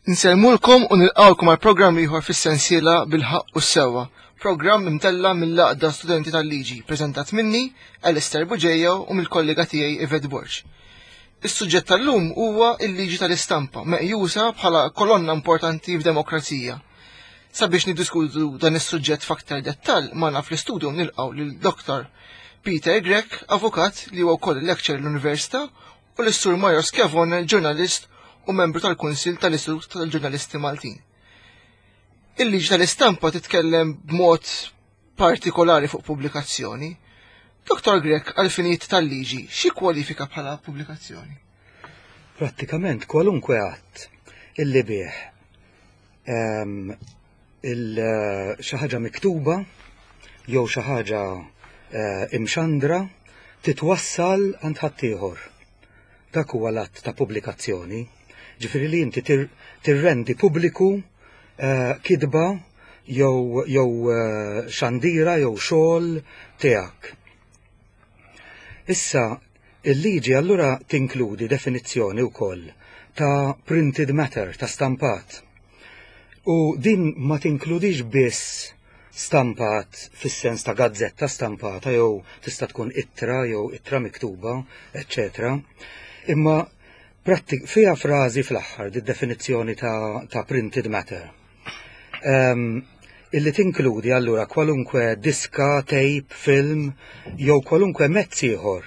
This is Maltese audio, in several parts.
Insellmulkom u nilqgħukom għal programm ieħor fis-sensiela Bil-Ħaqq u s-Sewwa, programm imtella' mill-Għaqda Studenti tal-Liġi, preżentat minni, Alistair Bugeja u mill-kollega tiegħi Yvette Borg. Is-suġġett tal-lum huwa l-liġi tal-istampa, meqjusa bħala kolonna importanti f'demokrazija. Sabiex niddiskutu dan is-suġġett f'aktar dettall, magħna fl-istudio nilqgħu lil Dr. Peter Grech, avukat li huwa wkoll lecturer l-Università u lis-Sur Mario Schiavone, ġurnalist u membru tal-Kunsill tal-Istitut tal-Ġurnalisti Maltin. Il-liġi tal-istampa titkellem b'mod partikolari fuq pubblikazzjoni. Dr. Grech, għal-finijiet tal-liġi, xi kwalifika bħala pubblikazzjoni? Prattikament kwalunkwe att illi bih ehm, xi ħaġa miktuba jew xi ħaġa eh, imxandra titwassal għand ħaddieħor. Dak huwa l-att ta' pubblikazzjoni. Ġifieri li inti tirrendi pubbliku eh, kitba jew jew eh, xandira jew xogħol tiegħek. Issa, il-liġi allura tinkludi definizzjoni wkoll ta' printed matter, ta' stampat. U din ma tinkludix biss stampat fis-sens ta' gazzetta stampata jew tista' tkun ittra jew ittra miktuba, eċċetera. Imma fiha frażi fl-aħħar di definizzjoni ta', ta printed matter. Um, illi tinkludi allura kwalunkwe diska, tape, film jew kwalunkwe mezz ieħor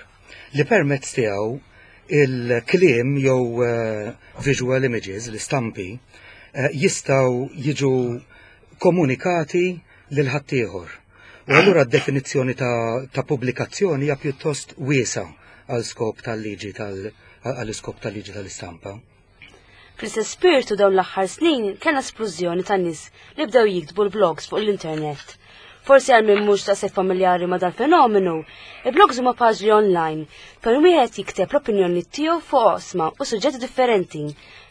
li permezz tiegħu il-kliem jew eh, visual images, l-istampi, eh, jistgħu jiġu komunikati lil ħaddieħor. U allura d-definizzjoni ta', ta pubblikazzjoni hija pjuttost wiesa għal skop tal-liġi tal għal iskop tal-liġi tal-istampa. Fl-istess spirtu dawn l-aħħar snin kellna splużjoni ta' nies li bdew jiktbu l-blogs fuq l-internet. Forsi għal min mhux daqshekk familjari ma' dal-fenomenu, il-blogs huma paġni online fejn wieħed jikteb l-opinjoni tiegħu fuq oqsma u suġġetti differenti.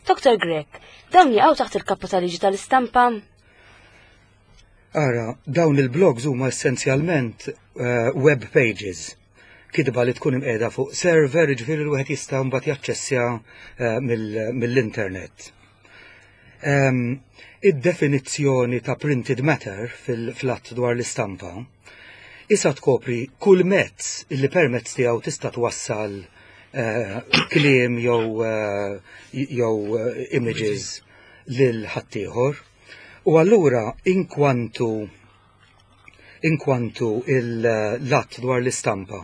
Dr. Grech, dawn jaqgħu taħt il-kappa tal-liġi tal-istampa? Ara, dawn il-blogs huma essenzjalment eh, web pages kitba li tkun imqiegħda fuq server, jiġifieri li wieħed jista' mbagħad jaċċessja eh, mill-internet. Ehm, id-definizzjoni ta' printed matter fil-att dwar l-istampa issa tkopri kull mezz illi permezz tiegħu tista' twassal eh, kliem jew eh, jew images lil ħaddieħor. U allura inkwantu inkwantu l-att dwar l-istampa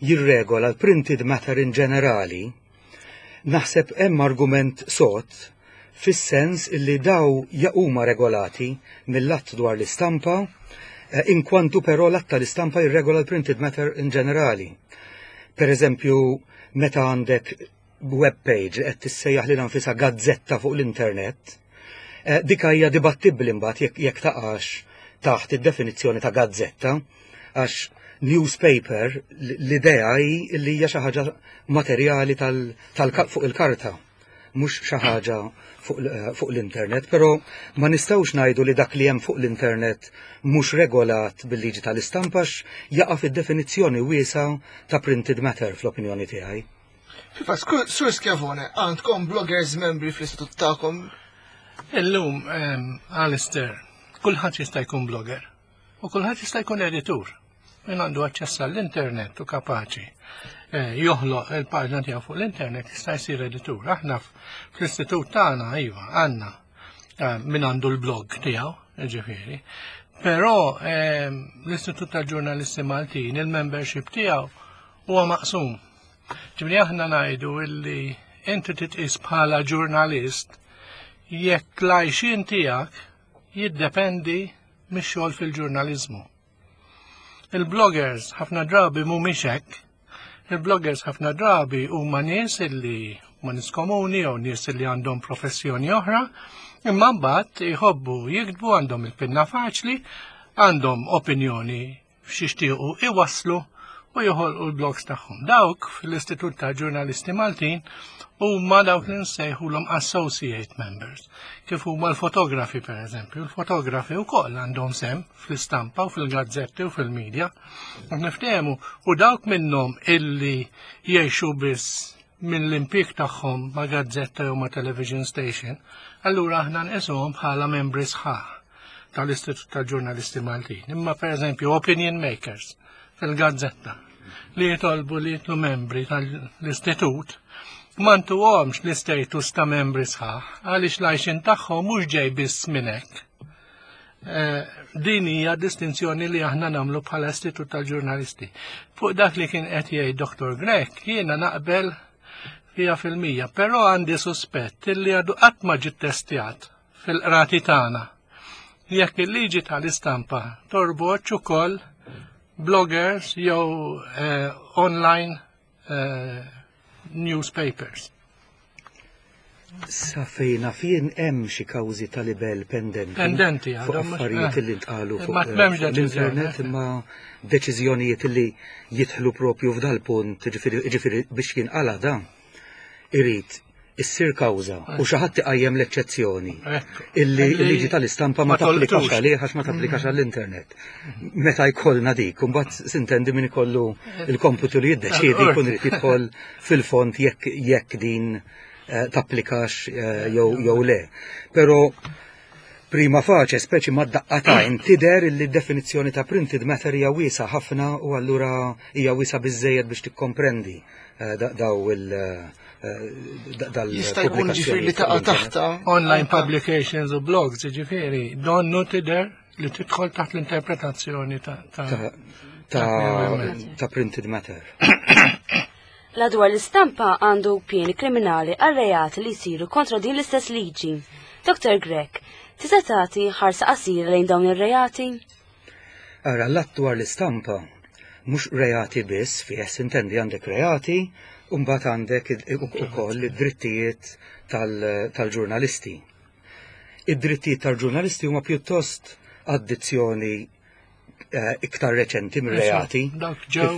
jirregola l-printed matter in ġenerali, naħseb hemm argument sod fis-sens illi daw huma regolati mill-att dwar l-istampa, eh, inkwantu però l-att tal-istampa jirregola l-printed matter in ġenerali. Per eżempju, meta għandek web page li qed tissejjaħ lilha nfisha gazzetta fuq l-internet, eh, dik hija dibattibbli mbagħad jekk jekk taqax taħt id-definizzjoni ta' gazzetta, għax newspaper l-idea hi li hija xi ħaġa materjali tal, tal fuq il-karta, mhux xi ħaġa fuq, eh, fuq l-internet, però ma nistgħux ngħidu li dak li hemm fuq l-internet mhux regolat bil-liġi tal-istampa jaqa' fid-definizzjoni wiesa ta' printed matter fl-opinjoni tiegħi. Fil-fatt, Sur Schiavone, għandkom bloggers membri fl-istitut tagħkom? Illum, Alistair, kulħadd jista' jkun blogger u kulħadd jista' jkun editur. Min għandu aċċess għall-internet u kapaċi eh, joħloq il-paġna tiegħu fuq l-internet jista' jsir editur. Aħna fl-istitut tagħna iva għandna eh, min għandu l-blog tiegħu, ġifieri. Però l-Istitut tal-Ġurnalisti Maltin, il-membership tiegħu huwa maqsum. Ġifieri aħna ngħidu illi inti titqis bħala ġurnalist jekk l-għajxien tiegħek jiddependi mix-xogħol fil-ġurnaliżmu. Il-bloggers ħafna drabi mhumiex hekk. Il-bloggers ħafna drabi huma nies illi huma nies komuni jew nies illi għandhom professjoni oħra, imma mbagħad jħobbu jiktbu għandhom il-pinna faċli, għandhom opinjoni x'jixtiequ iwasslu u joħolqu l-blogs tagħhom. Dawk fl-Istitut ta' Ġurnalisti Maltin huma dawk li nsejħulhom associate members, kif huma l-fotografi pereżempju. Il-fotografi wkoll għandhom sem fl-istampa u fil-gazzetti u fil-medja. Niftehmu u dawk minnhom illi jgħixu biss. mill-impjieg tagħhom ma' gazzetta jew ma' television station, allura aħna nqisuhom bħala membri sħaħ tal-Istitut tal-Ġurnalisti Maltin. Imma pereżempju opinion makers fil-gazzetta li jitolbu li jitlu membri tal-istitut ma ntuhomx l-istatus ta' membri sħaħ għaliex l-għajxin tagħhom mhux ġej biss minn hekk. Eh, din hija distinzjoni li aħna nagħmlu bħala Istitut tal-Ġurnalisti. Fuq dak li kien qed jgħid Dr. Grech, jiena naqbel 100%, però għandi suspett li għadu qatt ma ġiet testjat fil-qrati tagħna. Jekk il-liġi tal-istampa torbotx ukoll bloggers jew eh, online eh, newspapers. Sa fejna fien hemm xi kawżi ta' libel pendenti. Pendenti fuq affarijiet eh. li ntqalu fuq eh, l-internet imma deċiżjonijiet li jidħlu propju f'dal punt ġifieri biex jinqala dan. Irid issir kawża u xi ħadd iqajjem l-eċċezzjoni illi l-liġi tal-istampa ma tapplikax għalih għax ma tapplikax mm. għall-internet. Meta jkollna dik, imbagħad sintendi min ikollu il-komputu li jiddeċiedi jkun irid jidħol fil-fond jekk jekk din eh, tapplikax eh, jew le. Però prima facie, speċi ma daqqa ta' tidher illi d-definizzjoni ta' printed matter hija wiesa ħafna u allura hija wiesa biżejjed biex tikkomprendi eh, daw il- eh, Jista' jkun ġifieri li taqa' taħta. Online publications u blogs, ġifieri, donnu tidher li tidħol taħt l-interpretazzjoni ta' ta' printed matter. La dwar l-istampa għandu pieni kriminali għal reati li jsiru kontra din l-istess liġi. Dr. Grech, tista' tagħti ħarsa qasira lejn dawn ir-reati? Ara, l-att dwar l-istampa mhux reati biss fih, sintendi għandek reati u mbagħad għandek ukoll id-drittijiet tal-ġurnalisti. Id-drittijiet tal-ġurnalisti huma pjuttost addizzjoni eh, iktar reċenti mir-reati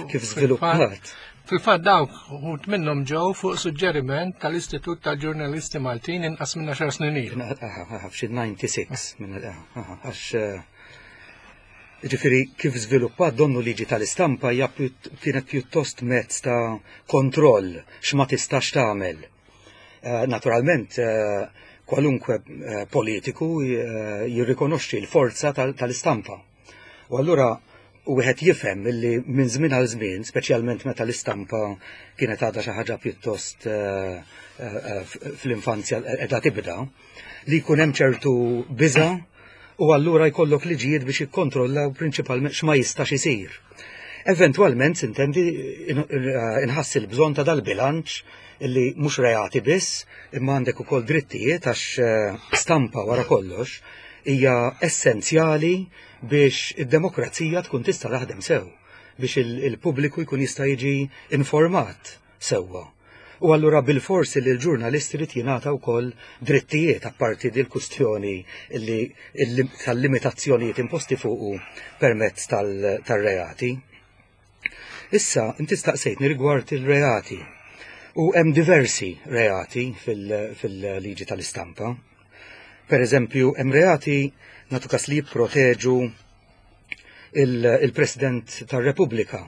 kif żviluppat. Fil-fatt dawk uħud minnhom ġew fuq suġġeriment tal-Istitut tal-Ġurnalisti Maltin inqas minn 10 snin ilu. F'xi 96 minn għax eh, ġifieri kif żviluppat donnu liġi tal-istampa hija kienet pjuttost mezz ta' kontroll x'ma tistax tagħmel. Eh, naturalment, eh, kwalunkwe politiku jirrikonoxxi l-forza tal-istampa. U allura wieħed jifhem illi minn żmien għal żmien, speċjalment meta l-istampa kienet għadha xi ħaġa pjuttost eh, eh, eh, fl-infanzja qiegħda tibda, li jkun hemm ċertu biża' u allura jkollok liġijiet biex jikkontrollaw prinċipalment x'ma jistax isir. Eventwalment, sintendi, inħass il-bżonn ta' dal-bilanċ illi mhux reati biss, imma għandek ukoll drittijiet għax stampa wara kollox hija essenzjali biex id-demokrazija tkun tista' taħdem sew, biex il-pubbliku jkun jista' jiġi informat sewwa. U allura bilfors li l-ġurnalist irid jingħata wkoll drittijiet apparti dil kustjoni li tal-limitazzjonijiet imposti fuqu permezz tal-reati. Issa, inti staqsejtni rigward il-reati. U hemm diversi reati fil-liġi tal-istampa. Per eżempju, hemm reati nagħtu kas li jipproteġu il-President tar-Repubblika.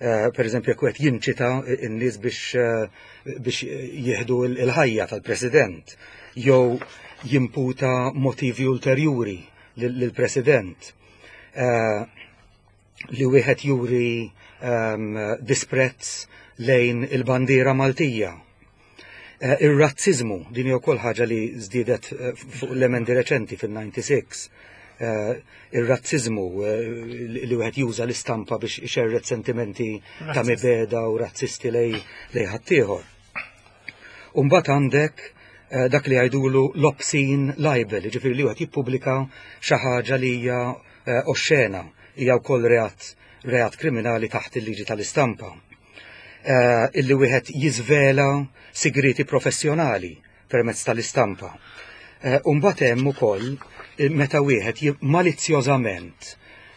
Eh, per eżempju, jekk qed jinċita n-nies biex eh, biex jieħdu l-ħajja tal-President jew jimputa motivi ulterjuri lill-President. Eh, li wieħed juri ehm, disprezz lejn il-bandiera Maltija. Eh, ir-razziżmu, din hija wkoll ħaġa li żdiedet eh, fuq l-emendi reċenti fil-96. Eh, ir-razziżmu li wieħed juża l-istampa biex ixerred sentimenti ta' mibeda u razzisti lej ħaddieħor. Umbagħad għandek dak li jgħidulu l-obscene libel, ġifieri li wieħed jippubblika xi ħaġa li hija oxxena, hija wkoll reat reat kriminali taħt il-liġi tal-istampa. Eh, illi wieħed jiżvela sigrieti professjonali permezz tal-istampa. Eh, Umbagħad hemm ukoll eh, meta wieħed malizzjożament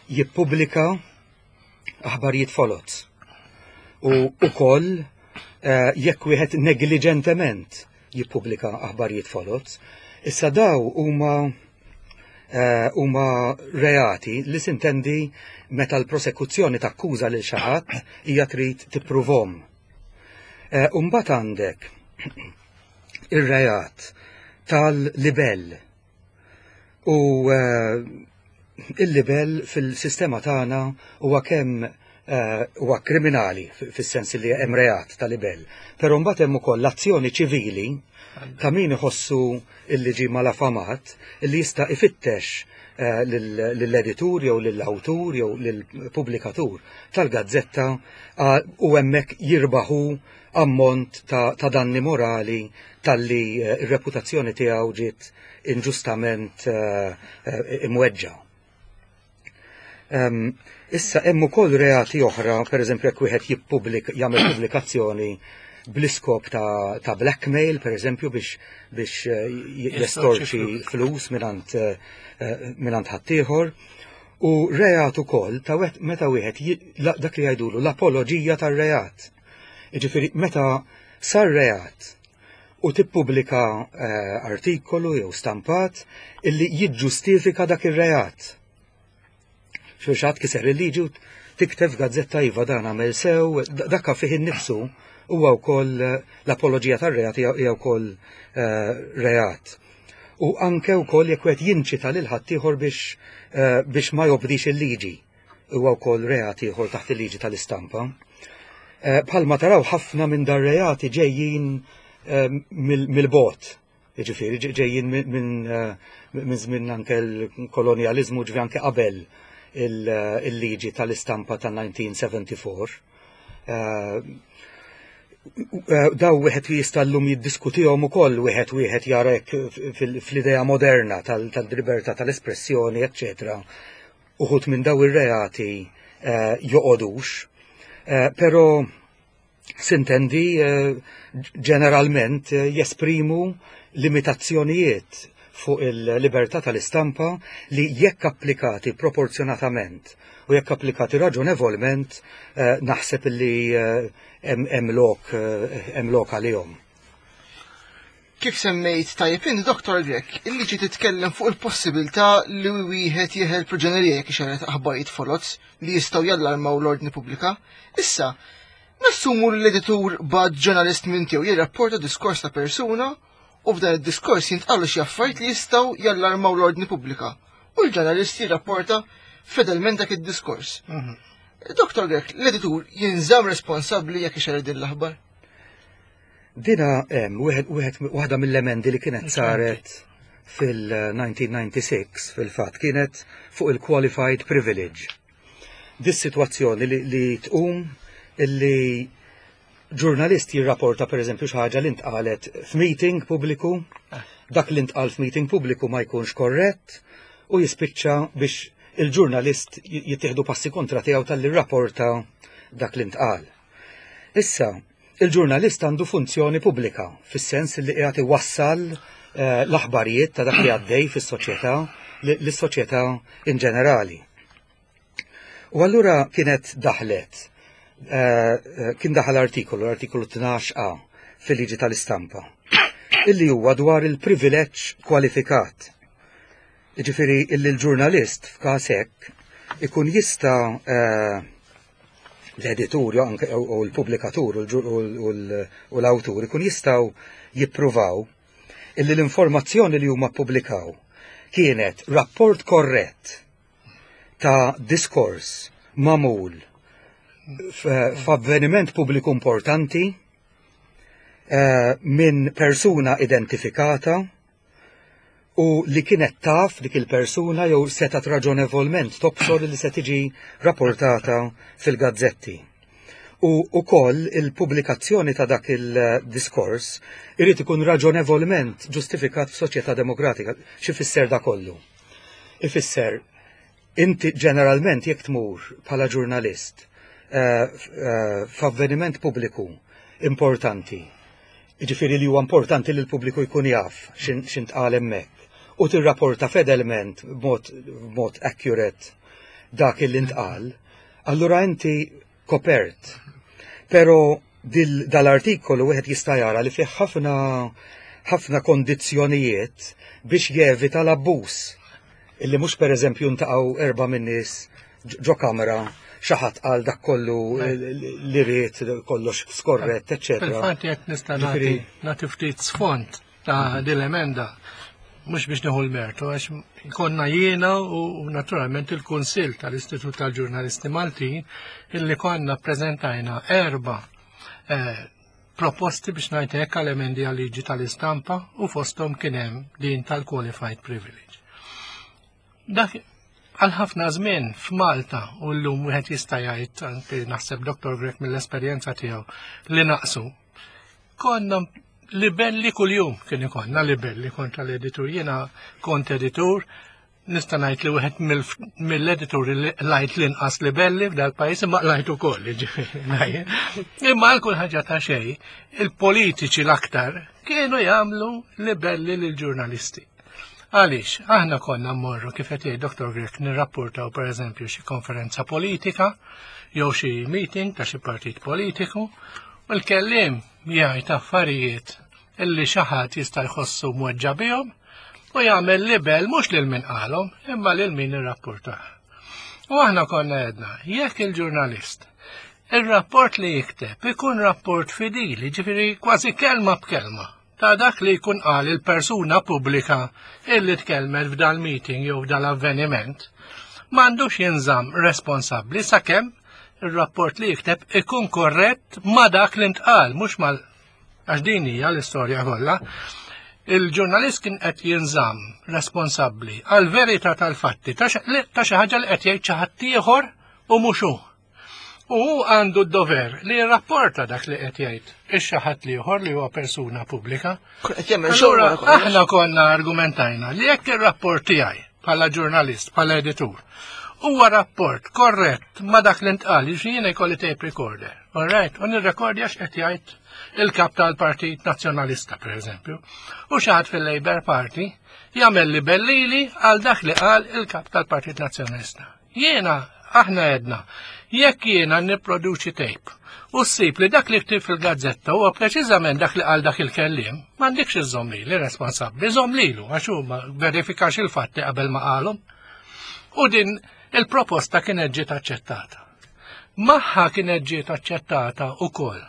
jippubblika aħbarijiet foloz. U ukoll jekk wieħed negliġentement jippubblika aħbarijiet foloz. Issa daw huma eh, huma reati li sintendi meta l-prosekuzzjoni takkuża lil xi ħadd hija trid tippruvhom. Umbagħad għandek ir-reat tal-libell. U il-libell fil-sistema tagħna huwa kemm huwa kriminali fis-sens li hemm reat ta' libell. Però mbagħad hemm ukoll l-azzjoni ċivili ta' min iħossu illi ġie malafamat illi jista' ifittex lill-editur jew lill-awtur jew lill-pubblikatur tal-gazzetta u hemmhekk jirbaħu ammont ta' danni morali talli r-reputazzjoni tiegħu ġiet inġustament imweġġa'. Issa hemm ukoll reati oħra, pereżempju jekk wieħed jippublik jagħmel pubblikazzjoni bl-iskop ta', ta blackmail, pereżempju biex biex eh, jestorċi flus mingħand eh, mingħand ħaddieħor. U reat ukoll ta' meta wieħed dak li jgħidulu l-apoloġija tar-reat. Jiġifieri meta sar reat u tippubblika eh, artikolu jew stampat illi jiġġustifika dak ir-reat. Xi kiser il-liġi u tikteb f'gazzetta iva dan għamel sew, dakka fih innifsu huwa wkoll eh, l-apoloġija tar-reat hija wkoll eh, reat. U anke wkoll jekk wieħed jinċita lil ħaddieħor biex biex ma jobdix il-liġi huwa wkoll reat ieħor taħt il-liġi tal-istampa. Eh, bħalma taraw ħafna minn dar reati ġejjin eh, mill-bot, ġifieri ġejjin eh, minn żmien anke l-kolonjaliżmu ġifi anke qabel il-liġi tal-istampa ta' 1974. Daw wieħed jista' llum jiddiskutihom ukoll wieħed wieħed jarek fl-idea moderna tal-libertà tal-espressjoni, eċċetera uħud minn daw ir-reati eh, joqogħdux, eh, però sintendi eh, ġeneralment jesprimu limitazzjonijiet fuq il-libertà tal-istampa li jekk applikati proporzjonatament u jekk applikati raġonevolment naħseb li hemm lok għalihom. Kif semmejt tajjeb int, Dottor Grech, il-liġi titkellem fuq il-possibilità li wieħed jeħel proġenerija jekk ixerred aħbarijiet foloz li jistgħu jallarmaw l-ordni pubblika. Issa, nassumu li l-editur bagħat ġurnalist minn tiegħu jirrapporta diskors ta' persuna u f'dan id-diskors jintqalu xi affarijiet li jistgħu jallarmaw l-ordni pubblika u l-ġurnalist jirrapporta fedelment dak id-diskors. Mhm. Dr. Grech, l-editur jinżamm responsabbli jekk ixerred din l-aħbar? Dina hemm wieħed wieħed waħda mill-emendi li kienet saret fil-1996 fil-fatt kienet fuq il-qualified privilege. Dis-sitwazzjoni li, li tqum illi ġurnalist jirrapporta per eżempju xi ħaġa li ntqalet f'meeting pubbliku, dak li ntqal f'meeting pubbliku ma jkunx korrett u jispiċċa biex il-ġurnalist jittieħdu passi kontra tiegħu talli rrapporta dak li ntqal. Issa, il-ġurnalist għandu funzjoni pubblika, fis-sens li qiegħed iwassal eh, l-aħbarijiet ta' dak li għaddej fis-soċjetà lis-soċjetà in ġenerali. U allura kienet daħlet, eh, eh, kien daħal artikolu, l-artikolu 12a fil-liġi tal-istampa, illi huwa dwar il-privileġġ kwalifikat. Jiġifieri illi l-ġurnalist f'każ hekk ikun jista' l-editur u l-pubblikatur u l-awtur ikun jistgħu jippruvaw illi l-informazzjoni li huma ppubblikaw kienet rapport korrett ta' diskors magħmul f'avveniment pubbliku importanti eh, minn persuna identifikata u li kienet taf dik il-persuna jew setgħet raġonevolment tobsor li se tiġi rapportata fil-gazzetti. U ukoll il-pubblikazzjoni ta' dak il-diskors irid ikun raġonevolment ġustifikat f'soċjetà demokratika. Xi fisser da kollu? Ifisser inti ġeneralment jekk tmur bħala ġurnalist eh, eh, f'avveniment pubbliku importanti Jiġifieri li huwa importanti li l-pubbliku jkun jaf x'intqal hemmhekk u tirrapporta fedelment b'mod accurate dak li ntqal, allura inti kopert. Però dal-artikolu wieħed jista' jara li fih ħafna ħafna kondizzjonijiet biex jevita l-abbuż. Illi mhux pereżempju ntaqgħu erba' min-nies ġo kamra xi ħadd qal dak kollu li ried kollox skorrett, eċċetera. Fil-fatt jekk nista' nagħti nagħti ftit sfond ta' din l-emenda mhux biex nieħu l-mertu għax konna jiena u naturalment il-Kunsill tal-Istitut tal-Ġurnalisti Maltin illi konna ppreżentajna erba' eh, proposti biex ngħid hekk għal emendi għal liġi tal-istampa u fosthom kien hemm din tal-qualified privilege. Dak għal ħafna żmien f'Malta u llum wieħed jista' jgħid anke naħseb Dr. Grech mill-esperjenza tiegħu li naqsu. Konna libelli kuljum kien ikollna libelli kontra l-editur. Jiena kont editur Nista' ngħid li wieħed mill-edituri li lajt l-inqas libelli f'dal-pajjiż imma lajt ukoll, jiġifieri. Imma għal kull ħaġa ta' xejn, il-politiċi l-aktar kienu jagħmlu libelli lill-ġurnalisti. Għaliex, aħna konna mmorru kif qed jgħid Dr. Grech nirrapportaw pereżempju xi konferenza politika jew xi meeting ta' xi partit politiku u l-kelliem jgħid affarijiet illi xi ħadd jista' jħossu mweġġa' bihom u jagħmel libel mhux lil min qalhom imma lil min irrappurtah. U aħna konna għedna, jekk il-ġurnalist ir-rapport li jikteb ikun rapport fidili, ġifieri kważi kelma b'kelma, ta' dak li jkun qal il-persuna pubblika illi tkellmet f'dal-meeting jew f'dal-avveniment, m'għandux jinżamm responsabbli sakemm ir-rapport li jikteb ikun korrett ma' dak li ntqal, mhux mal Għax din hija l-istorja kollha. Il-ġurnalist kien qed jinżamm responsabbli għal verità tal-fatti ta' xi ħaġa li qed jgħid xi ħadd ieħor u mhux hu. U hu għandu d-dover li jirrapporta dak li qed jgħid ix-xi ħadd ieħor li huwa persuna pubblika. Allura aħna konna argumentajna li jekk ir-rapport tiegħi bħala ġurnalist, bħala editur, huwa rapport korrett ma dak li ntqal, jiġifieri jiena jkolli tape recorder. All right, u nirrekordja x'qed jgħid il-kap tal-Partit Nazzjonalista, per eżempju. U xi ħadd fil-Labour Party jagħmel li bellili għal dak li qal il-kap tal-Partit Nazzjonalista. Jiena, aħna għedna, jekk jiena nipproduċi tape u ssib li dak li ktib fil-gazzetta huwa preċiżament dak li qal dak il-kelliem, m'għandikx iżżomm lili responsabbli, żomm lilu għax hu ma verifikax il-fatti qabel ma qalhom. U din il-proposta kienet ġiet aċċettata. Magħha kienet ġiet aċċettata wkoll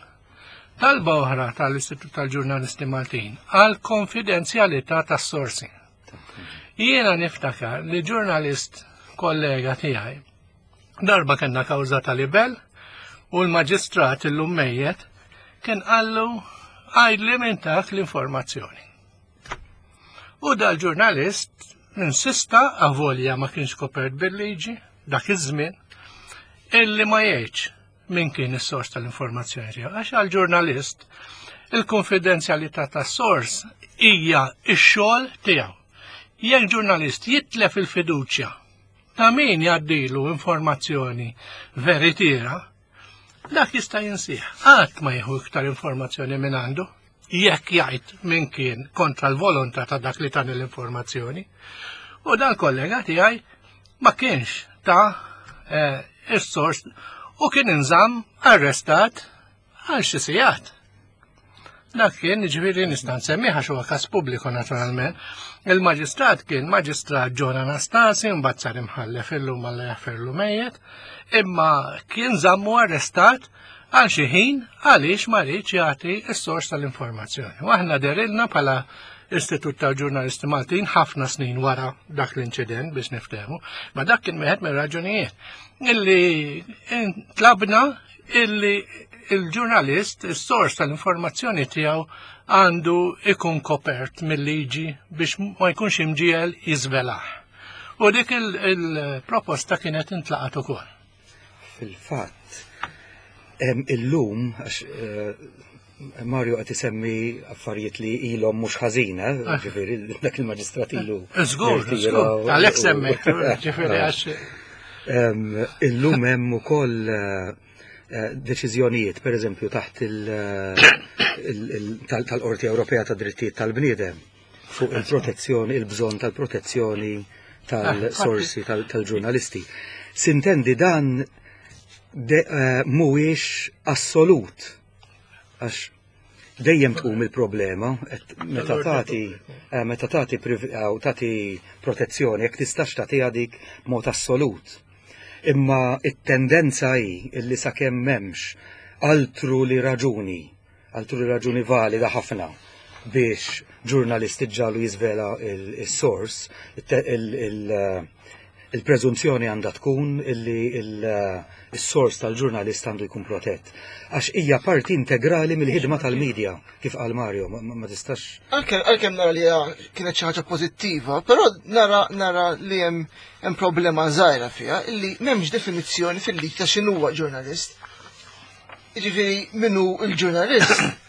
talba oħra tal-Istitut tal-Ġurnalisti Maltin għal konfidenzjalità tas-sorsi. Jiena niftakar li ġurnalist kollega tiegħi darba kellna kawża ta' libel u l-maġistrat illum mejjet kien qallu għajdli minn tak l-informazzjoni. U dal-ġurnalist insista avolja ma kienx kopert bil-liġi dak iż-żmien illi ma jgħidx min kien is-sors tal-informazzjoni tiegħu. Għax għall-ġurnalist il-konfidenzjalità tas-sors hija x-xogħol tiegħu. Jekk ġurnalist jitlef il-fiduċja ta' min jgħaddilu informazzjoni veritiera, dak jista' jinsih. Qatt ma jieħu iktar informazzjoni minn għandu jekk jgħid min kien kontra l-volontà ta' dak li tani l-informazzjoni. U dan kollega tiegħi ma kienx ta' eh, is-sors u kien inżamm arrestat għal xi sigħat. Dak kien, ġifieri nista' nsemmiha għax huwa każ pubbliku naturalment. Il-maġistrat kien maġistrat John Anastasi, mbagħad sar imħallef illum Alla jaħferlu mejjet, imma kien żammu arrestat għal xi ħin għaliex ma riedx jagħti s-sors tal-informazzjoni. U aħna derilna bħala Istitut tal-Ġurnalisti Maltin ħafna snin wara dak l-inċident biex niftehmu, ma dak kien wieħed mir-raġunijiet illi tlabna illi il-ġurnalist, is-sors tal-informazzjoni tiegħu għandu ikun kopert mill-liġi biex ma jkunx imġiegħel jiżvelah. U dik il-proposta kienet intlaqat ukoll. Fil-fatt, illum, għax eh, Mario qed isemmi affarijiet li ilhom mhux ħażina, eh, ah. ġifieri dak il-maġistrat ilu. Żgur, żgur, għalhekk semmejt, ġifieri għax. Illum hemm ukoll eh, deċiżjonijiet, pereżempju taħt tal-Qorti Ewropea ta' Drittijiet tal-Bniedem fuq il-protezzjoni, il-bżonn tal-protezzjoni tal-sorsi tal-ġurnalisti. Sintendi dan eh, mhuwiex assolut għax dejjem tqum il-problema meta tagħti eh, meta tagħti tagħti protezzjoni jekk tistax tagħtiha dik mod assolut. Imma it-tendenza hi illi sakemm m'hemmx altru li raġuni, altru li raġuni valida ħafna biex ġurnalist iġġagħlu jiżvela il-source, il-preżunzjoni għandha tkun illi il-sors tal-ġurnalist għandu jkun protett. Għax hija parti integrali mill-ħidma tal-medja, kif qal Mario, ma tistax. Għalkemm nara li kienet xi ħaġa pożittiva, però nara nara li hemm hemm problema żgħira fiha illi m'hemmx definizzjoni fil-liġi ta' x'inhuwa ġurnalist. Jiġifieri min hu l-ġurnalist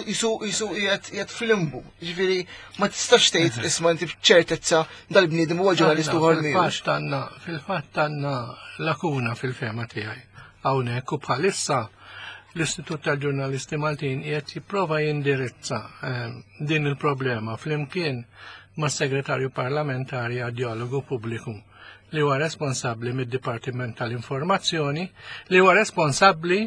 jisu jisu qiegħed fil-limbu. Jiġifieri ma tistax tgħid isma' inti b'ċertezza dal-bniedem huwa ġurnalist uħor miegħu. Fil-fatt għandna lakuna fil-fehma tiegħi. Hawnhekk u bħalissa l-Istitut tal-Ġurnalisti Maltin qiegħed jipprova jindirizza din il-problema flimkien mas-Segretarju Parlamentari għad-Djalogu Pubbliku li huwa responsabbli mid-Dipartiment tal-Informazzjoni li huwa responsabbli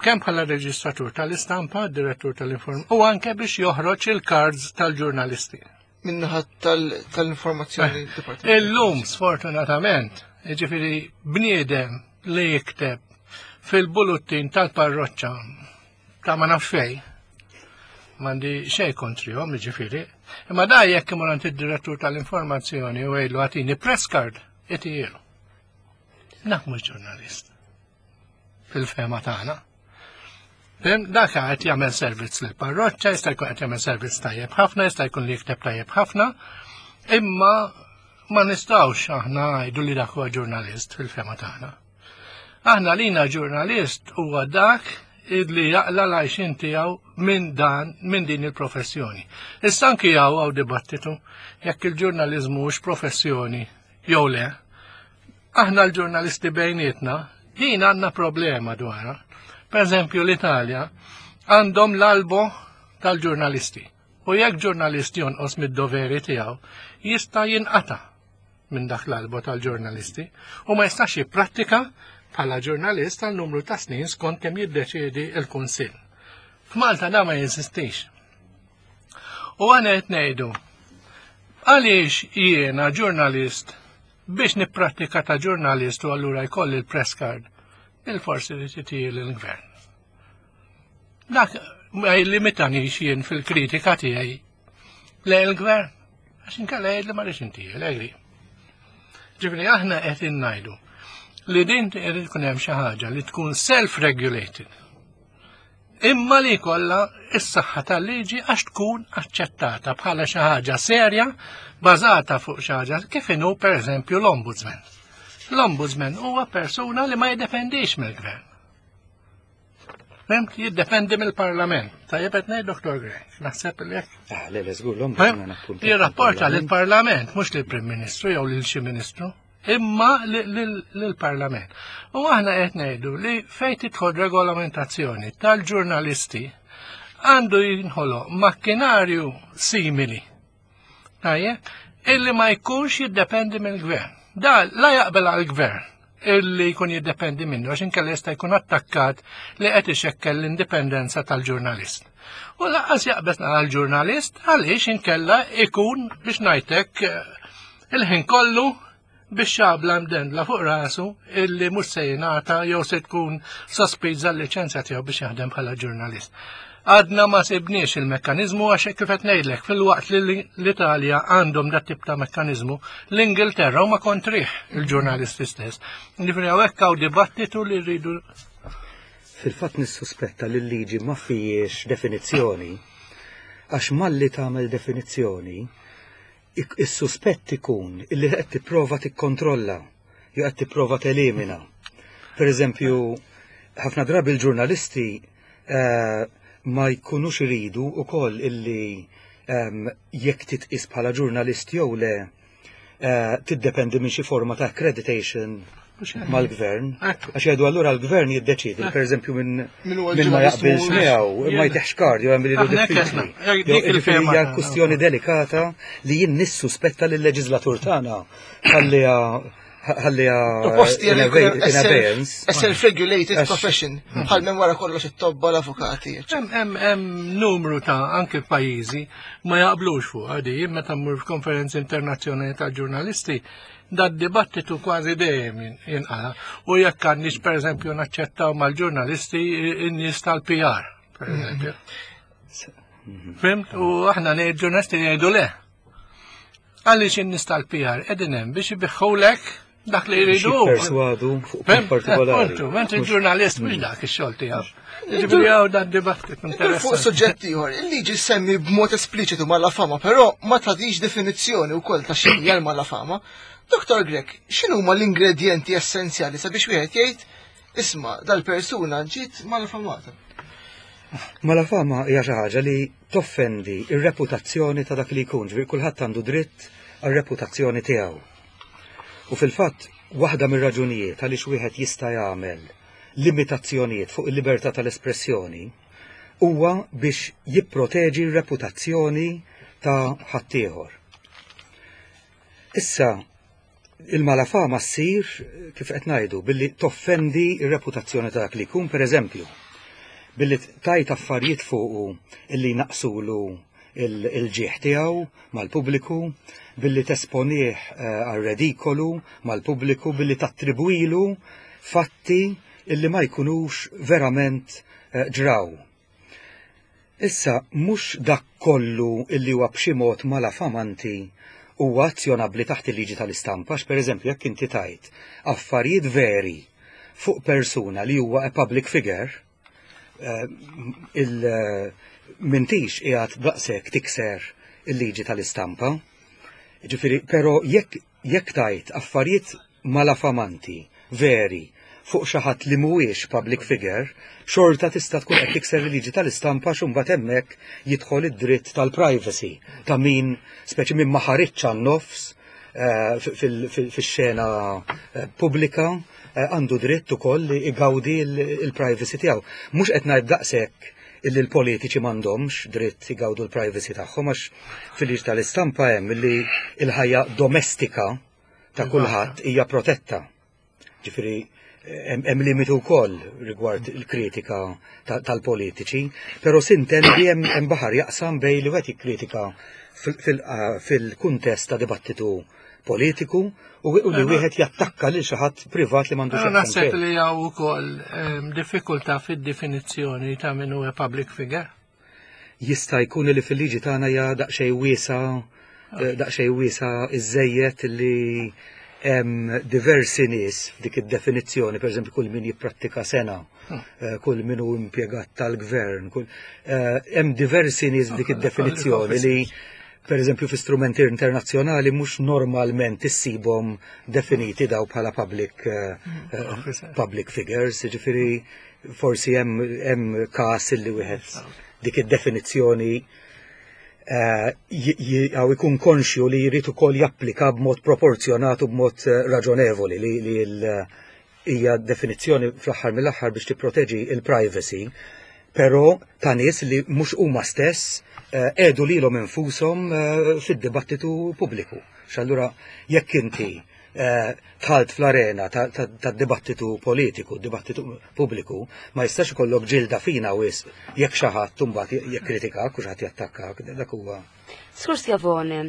kemm bħala reġistratur tal-istampa, direttur tal-informazzjoni, u anke biex joħroġ il-cards tal-ġurnalisti. Minnaħa tal-informazzjoni eh, Illum, sfortunatament, ġifiri bniedem li jikteb fil-buluttin tal-parroċċa ta' ma nafx fej, mandi xej kontrihom, ġifiri, imma da jekk imur għand id-direttur tal-informazzjoni u għidlu għatini press card, itijielu. Dak mhux ġurnalist. Fil-fema tagħna. Fim, dak qed jagħmel servizz lil parroċċa, jista' jkun qed jagħmel servizz tajjeb ħafna, jista' jkun li jikteb tajjeb ħafna, imma ma nistgħux aħna ngħidu li dak huwa ġurnalist fil-fema tagħna. Aħna lina ġurnalist huwa dak li jaqla l-għajxin tiegħu minn dan minn din il-professjoni. Issa anki hawn hawn dibattitu jekk il-ġurnaliżmu hux professjoni jew le. Aħna l-ġurnalisti bejnietna din għandna problema dwarha. Per eżempju l-Italja għandhom l-albo tal-ġurnalisti. U jekk ġurnalist jonqos mid-doveri tiegħu, jista' jinqata' minn dak l-albo tal-ġurnalisti u ma jistax jipprattika bħala ġurnalist għal numru ta' snin skont kemm jiddeċiedi l-Kunsill. F'Malta da ma jeżistix. U għana qed ngħidu għaliex jiena ġurnalist biex nipprattika ta' ġurnalist u allura jkolli l-press card il-forsi li titijil il-gvern. Dak ma jillimitanix jien fil-kritika tiegħi le il-gvern għax inkella jgħid li ma rridx intijel, egri. Ġifieri aħna qed ngħidu li din irid tkun hemm xi ħaġa li tkun self-regulated. Imma li jkollha s-saħħa tal-liġi għax tkun aċċettata bħala xi ħaġa serja bażata fuq xi ħaġa kif inhu pereżempju l-ombudsman. L-ombudsman huwa persuna li ma jiddependix mill-gvern. Fhimt? Jiddependi mill-Parlament. Tajjeb qed ngħid Dr. Grech, naħseb li hekk. Ah, le, le, żgur l-ombudsman appuntat. Jirrapporta lill-Parlament, mhux lill-Prim Ministru jew lil xi Ministru, imma lill-Parlament. U aħna qed ngħidu li fejn tidħol regolamentazzjoni tal-ġurnalisti għandu jinħoloq makkinarju simili. Tajjeb, illi ma jkunx jiddependi mill-gvern. Da la jaqbel għall-gvern illi jkun jiddependi minnu għax inkella jista' jkun attakkat li qed ixekkel l-indipendenza tal-ġurnalist. U lanqas jaqbel għall-ġurnalist għaliex inkella ikun biex ngħidlek eh, il-ħin kollu biex xabla mdendla fuq rasu illi mhux se jingħata jew se tkun sospiża l-liċenzja tiegħu biex jaħdem bħala ġurnalist. Għadna ma sibniex il-mekkaniżmu għax kif qed ngħidlek filwaqt li l-Italja għandhom dat tip ta' mekkaniżmu, l-Ingilterra huma kontrih il-ġurnalisti stess. Ġifieri hawnhekk hawn dibattitu li rridu Fil-fatt nissuspetta li l-liġi ma fijiex definizzjoni, għax malli tagħmel definizzjoni, is-suspett ikun illi qed tipprova tikkontrolla jew qed tipprova telimina. Per eżempju, ħafna drabi l-ġurnalisti eh, ma jkunux iridu ukoll illi ehm, jekk titqis bħala ġurnalist jew le eh, tiddependi minn xi forma ta' accreditation mal-gvern. Għax jgħidu allura l-gvern jiddeċidi, per eżempju minn min ma jaqbilx miegħu, ma jteħx kard, jew hemm li diffiċli. Ġifieri hija kwistjoni delikata li jien nissuspetta lill-leġislatur tagħna ħalliha Ħalliha Proposti in abeyance. A self-regulated profession, bħal minn wara kollox it-tobba l-avukati. Hemm numru ta' anke pajjiżi ma jaqblux fuq għadi, meta mmur f'konferenzi internazzjonali ta' ġurnalisti, dad dibattitu kważi dejjem jinqala. U jekk għandix pereżempju naċċettaw mal-ġurnalisti in-nies tal-PR, pereżempju. Fimt? U aħna ġurnalisti jgħidu le. Għaliex in-nies tal-PR qegħdin hemm biex ibiħħulek dak li jridu. Perswadu fuq punt partikolari. Mentri il-ġurnalist mhux dak ix-xogħol tiegħu. Ġifieri hawn dan dibattit interessanti. Fuq suġġett ieħor, il-liġi semmi b'mod espliċitu malafama, però ma tagħtix definizzjoni wkoll ta' x'inhi l-malafama. Dr. Grech, x'inhuma l-ingredjenti essenzjali sabiex wieħed jgħid isma' dal-persuna ġiet malafamata? Malafama hija xi ħaġa li toffendi r-reputazzjoni ta' dak li jkun, ġifieri kulħadd għandu dritt għar-reputazzjoni tiegħu. U fil-fatt, waħda mir-raġunijiet għaliex wieħed jista' jagħmel limitazzjonijiet fuq il-libertà tal-espressjoni huwa biex jipproteġi r-reputazzjoni ta' ħaddieħor. Issa, il-malafama ssir, kif qed ngħidu, billi toffendi r-reputazzjoni ta' dak li jkun, pereżempju, billi tajt affarijiet fuqu illi jnaqqsulu il-ġieħ tiegħu mal-pubbliku, billi tesponih eh, għar-redikolu mal-pubbliku, billi tattribwilu fatti illi ma jkunux verament eh, ġraw. Issa, mhux dak kollu illi huwa b'xi mod malafamanti huwa azzjonabbli taħt il-liġi tal-istampa għax pereżempju jekk inti tgħid affarijiet veri fuq persuna li huwa a public figure, eh, il m'intix qiegħed daqshekk tikser il-liġi tal-istampa. Ġifieri, però jekk jekk tgħid affarijiet malafamanti veri fuq xi ħadd li mhuwiex public figure, xorta tista' tkun qed tikser il-liġi tal-istampa għax imbagħad hemmhekk jidħol id-dritt tal-privacy ta' min speċi min ma ħariġx għan-nofs eh, fix-xena eh, pubblika eh, għandu dritt ukoll li igawdi l-privacy tiegħu. Mhux qed ngħid daqshekk illi l-politiċi m'għandhomx dritt igawdu l-privacy tagħhom għax fil-liġi tal-istampa hemm illi l-ħajja domestika ta' kulħadd hija protetta. Ġifieri hemm limitu wkoll rigward il-kritika tal-politiċi, però sintendi hemm baħar jaqsam bej li wieħed jikkritika fil-kuntest ta' dibattitu politiku u li wieħed jattakka lil xi ħadd privat li m'għandux x'jaqsam. Naħseb li hawn ukoll ehm, diffikultà fid-definizzjoni ta' min huwa public figure. Jista' jkun li fil-liġi tagħna hija daqsxejn wiesa eh, daqsxejn wiesa iżejjed li hemm diversi nies f'dik id-definizzjoni, pereżempju kull min jipprattika sena, hmm. eh, kull min hu impjegat tal-gvern, kull eh, hemm diversi nies f'dik id-definizzjoni li pereżempju fi strumenti internazzjonali mhux normalment issibhom definiti daw bħala public hmm. public figures, jiġifieri forsi hemm każ illi wieħed dik id-definizzjoni eh, għaw ikun konxju li jrid ukoll japplika b'mod proporzjonat u b'mod eh, raġonevoli li hija definizzjoni fl-aħħar mill-aħħar biex tipproteġi il-privacy, però ta' nies li mhux huma stess eh, għedu lilhom infushom fid-dibattitu pubbliku. X'allura jekk inti Eh, tħalt fl-arena tad-dibattitu politiku, dibattitu pubbliku, ma jistax ikollok ġilda fina wisq jekk xi ħadd imbagħad jikkritikak u xi ħadd jattakkak, dak huwa. Sur Schiavone,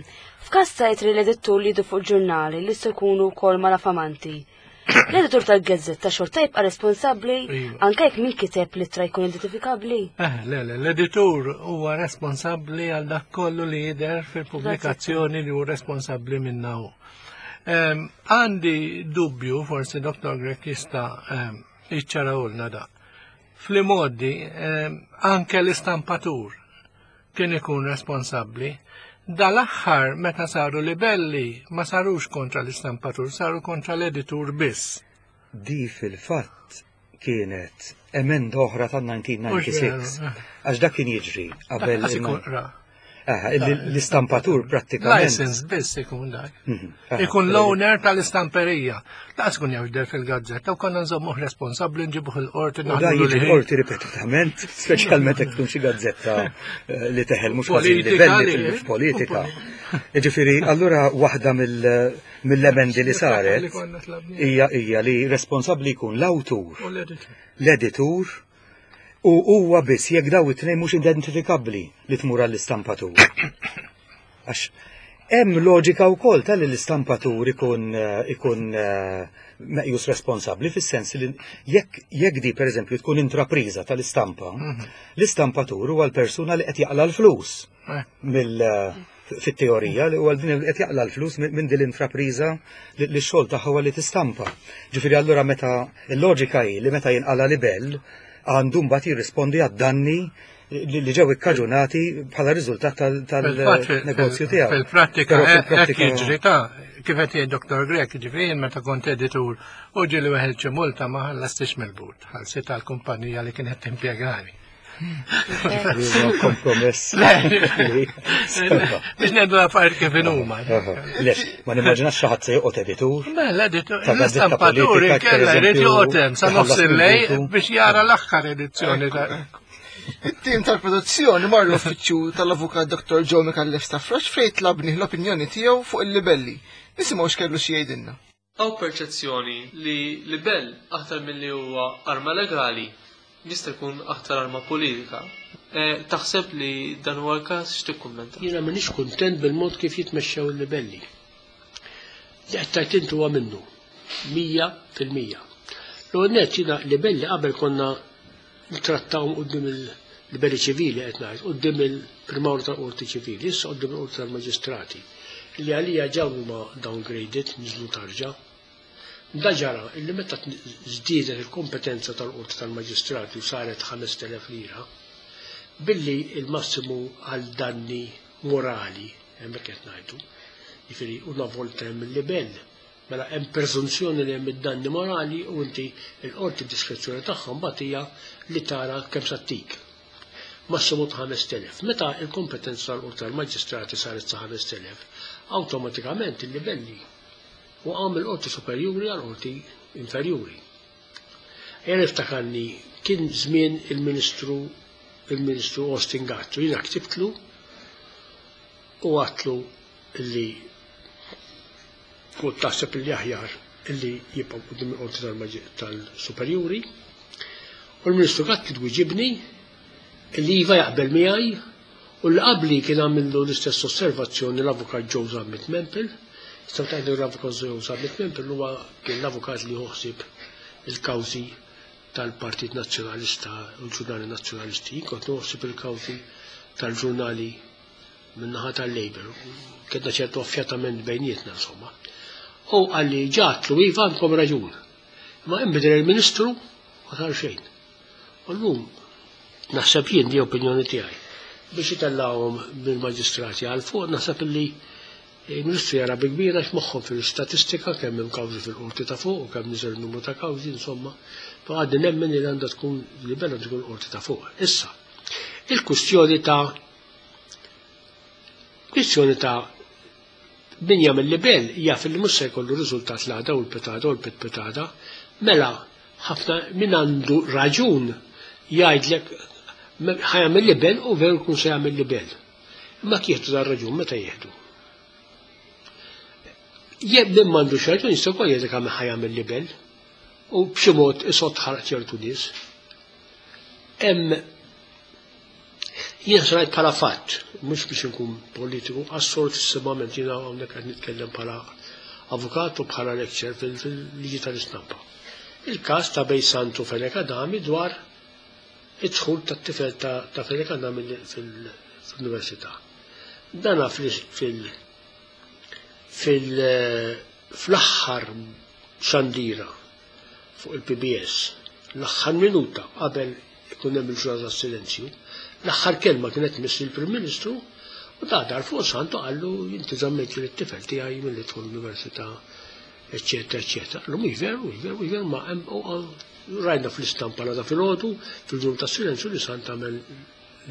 f'każ ta' itri l-edittur li jdu fuq ġurnali li jistgħu jkunu wkoll malafamanti, L-editur tal-gazzetta xorta jibqa' responsabbli iva. anke jekk min kiteb l-ittra jkun identifikabbli? Eh, le, le, l-editur huwa responsabbli għal dak kollu li jidher fil-pubblikazzjoni li hu responsabbli minna hu. Għandi dubju, forsi Dr. Grech jista' jiċċarawlna da. Fl-modi, anke l-istampatur kien ikun responsabbli. Dal-aħħar meta saru libelli ma sarux kontra l-istampatur, saru kontra l-editur biss. Di fil-fatt kienet emenda oħra tan-1996. Għax dak kien jiġri qabel. L-istampatur prattikament. License biss ikun dak. Mhm. Ikun l-owner tal-istamperija. Laqas kun jaf der fil-gazzetta u konna nżommuh responsabbli nġibuh il-qorti. Da jiġi l-qorti ripetutament, speċjalment jekk tkun xi gazzetta eh, li teħel mhux ħażin livelli fil-politika. Ġifieri, allura waħda mill-emendi li saret hija hija li responsabbli jkun l-awtur, l-editur, u huwa biss jekk daw it-tnejn mhux identifikabbli li tmur għall-istampatur. Għax hemm loġika wkoll tal l-istampatur ikun eh, ikun eh, meqjus responsabbli fis-sens li jekk jekk di pereżempju tkun intrapriża tal-istampa, mhm. l-istampatur huwa l-persuna li qed jaqla l-flus eh. mill fit-teorija li huwa din qed jaqla l-flus minn din l-intrapriża li x-xogħol tagħha huwa li tistampa. Ġifieri allura meta l-loġika hi li meta jinqala libell għandu mbagħad jirrispondi għad-danni li ġew ikkaġunati bħala riżultat tal-negozju tiegħu. Fil-prattika hekk jiġri ta' kif qed jgħid Dr. Grek, ġifieri meta kont editur u ġieli weħel xi multa ma ħallastix mill-but, ħallsit għall-kumpanija li kienet timpjegani. Kompromess. Biex ngħidu l-affarijiet kif inhuma. Le, ma nimmaġinax xi ħadd se joqgħod editur. Mela, l-editur, l-istampatur inkella jrid joqgħod hemm sa nofs il-lej biex jara l-aħħar edizzjoni ta' It-tim tal-produzzjoni mar l-uffiċċju tal-avukat Dr. Joe Micallef Stafrace fejn tlabnih l-opinjoni tiegħu fuq il-libelli. Nisimgħu x'kellu xi jgħidilna. Hawn perċezzjoni li libell aktar milli huwa arma legali jista' jkun aktar arma politika. Taħseb li dan huwa l-każ? X'tikkummenta? Jiena m'iniex kuntent bil-mod kif jitmexxew il-libelli. Li qed tgħid int huwa minnu. 100%. L-ewwel nett jiena libelli qabel konna nittrattawhom quddiem il-libelli ċivili qed ngħid, quddiem il-Prim'Awla tal-Qorti Ċivili, issa quddiem il-Qorti tal-Maġistrati, li għalija ġa huma downgraded, niżlu tarġa. Da ġara illi meta żdiedet il-kompetenza tal-Qorti tal-Maġistrati u saret 5,000 lira, billi il-massimu għal danni morali, hemmhekk qed ngħidu, jiġifieri una volta hemm il-libell, Mela hemm preżunzjoni li hemm id-danni morali u inti l-qorti d-diskrezzjoni tagħha mbagħad hija li tara kemm sa ttik. Massimu ta' 5,000. Meta l-kompetenza tal-Qorti tal-Maġistrati saret sa 5,000, awtomatikament il-livelli waqgħu mill-Qorti Superjuri għall-Qorti Inferjuri. Ejja niftakarni kien żmien il-Ministru il-Ministru Austin Gatt u jiena ktibtlu u għadtlu li Kont taħseb illi aħjar illi jibqgħu quddiem il-qorti tal-superjuri. U l-Ministru Gatt kien wiġibni illi iva jaqbel miegħi u li qabli kien għamillu l-istess osservazzjoni l-avukat Joe Zammit Mempel. Tistgħu tgħidu l-avukat Joe Zammit Mempel huwa kien l-avukat li ħsieb il-kawżi tal-Partit Nazzjonalista u l-ġurnali Nazzjonalisti. Kont noħsib il-kawżi tal-ġurnali min-naħa tal-Labour, kellna ċertu affjatament bejnietna insomma. U qalli ġatlu iva għandkom raġun. Ma inbidel il-Ministru ma sar xejn. U llum naħseb jien di opinjoni tiegħi biex itellgħuhom mill-maġistrati għal fuq naħseb illi il-Ministru jara bi kbira għax moħħhom fil-istatistika kemm hemm kawżi fil-qorti ta' fuq u kemm niżel numru ta' kawżi insomma. Però għadni nemmen li għandha tkun li bella tkun qorti ta' fuq. Issa, il-kwistjoni ta' Kwistjoni ta' min jagħmel libell jaf li mhux se jkollu riżultat l-għada u l-pitada u l-pitpitada, mela ħafna min għandu raġun jgħidlek ħa jagħmel libell u veru jkun se jagħmel libell. Imma kieħdu dar raġun meta jieħdu. Jekk min m'għandux raġun jista' wkoll jgħidlek għamel ħa jagħmel libell u b'xi mod isott ħarq ċertu nies. Hemm Jien se ngħid bħala fatt, mhux biex inkun politiku, assolutissimament jiena hawnhekk qed nitkellem bħala avukat u bħala lecturer fil-liġi tal-istampa. Il-każ ta' bejn Santu Fenech Adami dwar id-dħul tat-tifel ta' Fenech Adami fil-università. Dana fil fl-aħħar xandira fuq il-PBS, l-aħħar minuta qabel ikun hemm il-ġurnata tas-silenzju, l-aħħar kelma kienet tmiss lill-Prim Ministru u da dar fuq Sant u qallu inti żammejt lit-tifel tiegħi milli dħul l-università, eċċetera, eċċetera. Qallu mhux veru, mhux veru, mhux veru, ma hemm rajna fl-istampa l-għada filgħodu fil-ġurnata tas-silenzju li Sant għamel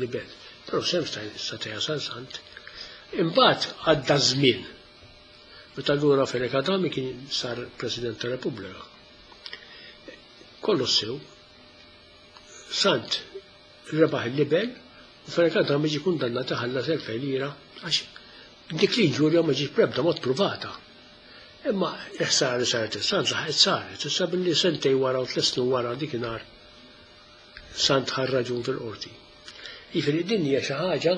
libell. Però sem seta' jasal Sant. Imbagħad għadda żmien. Meta lura Fenech Adami kien sar President tar-Repubblika. Kollox sew. Sant rebaħ il-libel u Fenech Adami ġie kundannat iħallas 2000 lira għax dik l-inġurja ma ġietx b'ebda mod pruvata. Imma il-ħsara li saret il-Sant laħqet saret, issa billi sentej wara u tliet snin wara dikinhar Sant ħa raġun fil-qorti. Jiġifieri din hija xi ħaġa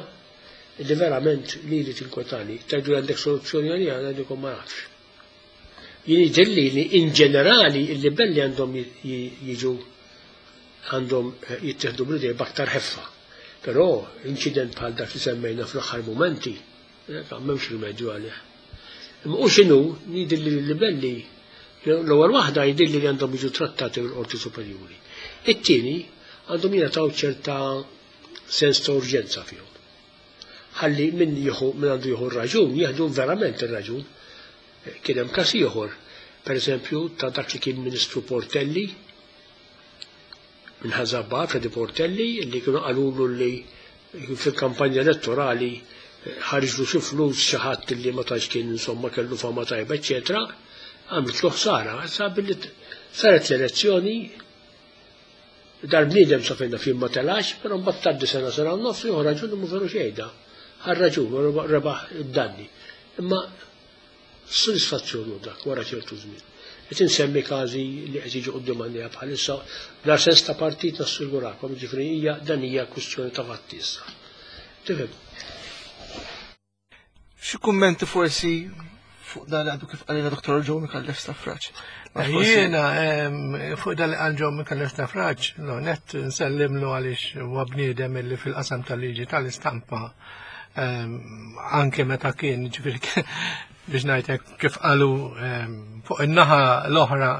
li verament lili tinkwetani. Tgħidu li għandek soluzzjoni għaliha, ngħidilkom ma nafx. Jien jidhirli li in ġenerali il-libelli għandhom jiġu għandhom eh, jittieħdu bl-idej b'aktar ħeffa. Però inċident bħal dak li semmejna fl-aħħar mumenti, eh, m'hemmx rimedju għalih. Imma u x'inhu jidhirli li l-libelli l-ewwel waħda jidhirli li għandhom jiġu trattati mill-Qorti Superjuri. It-tieni għandhom jingħataw ċerta sens ta' urġenza fihom. Ħalli min jieħu min għandu jieħu r-raġun, jieħdu verament ir-raġun. Kien hemm każ ieħor, pereżempju, ta' dak li kien Ministru Portelli, minn Ħażabbar, Freddy Portelli, li kienu qalulu li fil-kampanja elettorali ħarġlu xi flus xi ħadd li ma tantx kien insomma kellu fama tajba, eċċetera, għamlitlu ħsara. Issa billi saret l-elezzjoni Dal-bniedem sa fejn naf jien ma telax, però mbagħad tgħaddi sena sena u nofs jieħu raġun imma veru xejda. Ħa raġun u rebaħ id-danni. Imma sodisfazzjon hu dak wara ċertu żmien. Qed insemmi każi li qed jiġu quddiem għajnejja bħalissa bla sens ta' partit nassigurakom, jiġifieri hija dan hija kwistjoni ta' fatti issa. Tifhem? Xi kummenti forsi fuq dan li għadu kif qalilna Dr. Joe Mikallef Stafraċ? Jiena fuq dan li qal Joe Mikallef Stafraċ, no, net nsellimlu għaliex huwa bniedem illi fil-qasam tal-liġi tal-istampa anke meta kien ġifieri biex ngħidlek kif qalu fuq in-naħa l-oħra